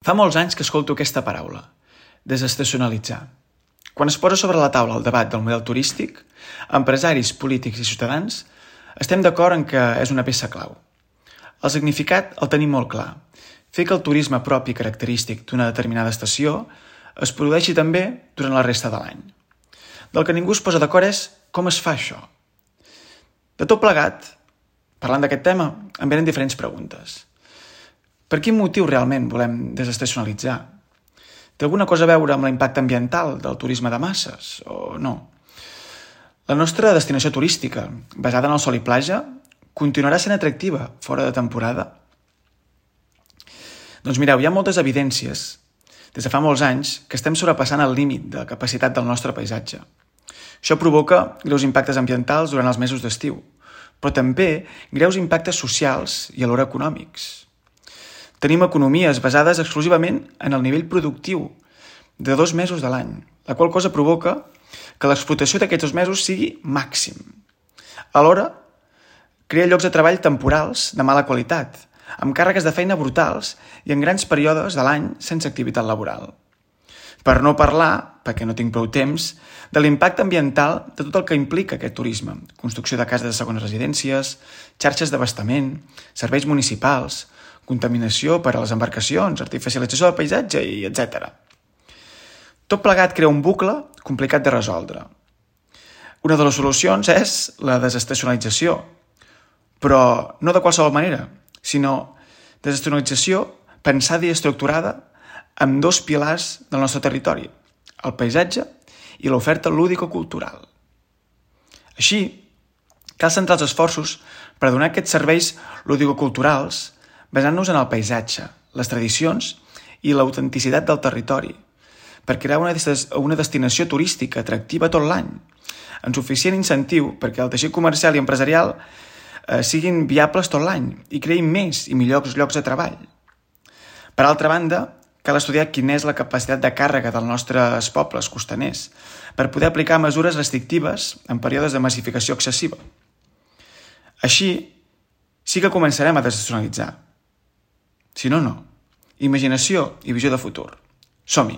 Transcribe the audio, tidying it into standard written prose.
Fa molts anys que escolto aquesta paraula, desestacionalitzar. Quan es posa sobre la taula el debat del model turístic, empresaris, polítics i ciutadans estem d'acord en que és una peça clau. El significat el tenim molt clar. Fer que el turisme propi característic d'una determinada estació es produeixi també durant la resta de l'any. Del que ningú es posa d'acord és com es fa això. De tot plegat, parlant d'aquest tema, em venen diferents preguntes. Per quin motiu realment volem desestacionalitzar? Té alguna cosa a veure amb l'impacte ambiental del turisme de masses o no? La nostra destinació turística, basada en el sol i platja, continuarà sent atractiva fora de temporada? Doncs mireu, hi ha moltes evidències des de fa molts anys que estem sobrepassant el límit de capacitat del nostre paisatge. Això provoca greus impactes ambientals durant els mesos d'estiu, però també greus impactes socials i alhora econòmics. Tenim economies basades exclusivament en el nivell productiu de 2 mesos de l'any, la qual cosa provoca que l'explotació d'aquests 2 mesos sigui màxim. Alhora, crea llocs de treball temporals de mala qualitat, amb càrregues de feina brutals i en grans períodes de l'any sense activitat laboral. Per no parlar, perquè no tinc prou temps, de l'impacte ambiental de tot el que implica aquest turisme, construcció de cases de segones residències, xarxes d'abastament, serveis municipals, contaminació per a les embarcacions, artificialització del paisatge i etc. Tot plegat crea un bucle complicat de resoldre. Una de les solucions és la desestacionalització, però no de qualsevol manera, sinó desestacionalització pensada i estructurada amb 2 pilars del nostre territori, el paisatge i l'oferta lúdico-cultural. Així, cal centrar els esforços per donar aquests serveis lúdico-culturals basant-nos en el paisatge, les tradicions i l'autenticitat del territori, per crear una destinació turística atractiva tot l'any, amb suficient incentiu perquè el teixit comercial i empresarial siguin viables tot l'any i creïn més i millors llocs de treball. Per altra banda, cal estudiar quina és la capacitat de càrrega dels nostres pobles costaners per poder aplicar mesures restrictives en períodes de massificació excessiva. Així, sí que començarem a desestacionalitzar. Si no, no. Imaginació i visió de futur. Som-hi!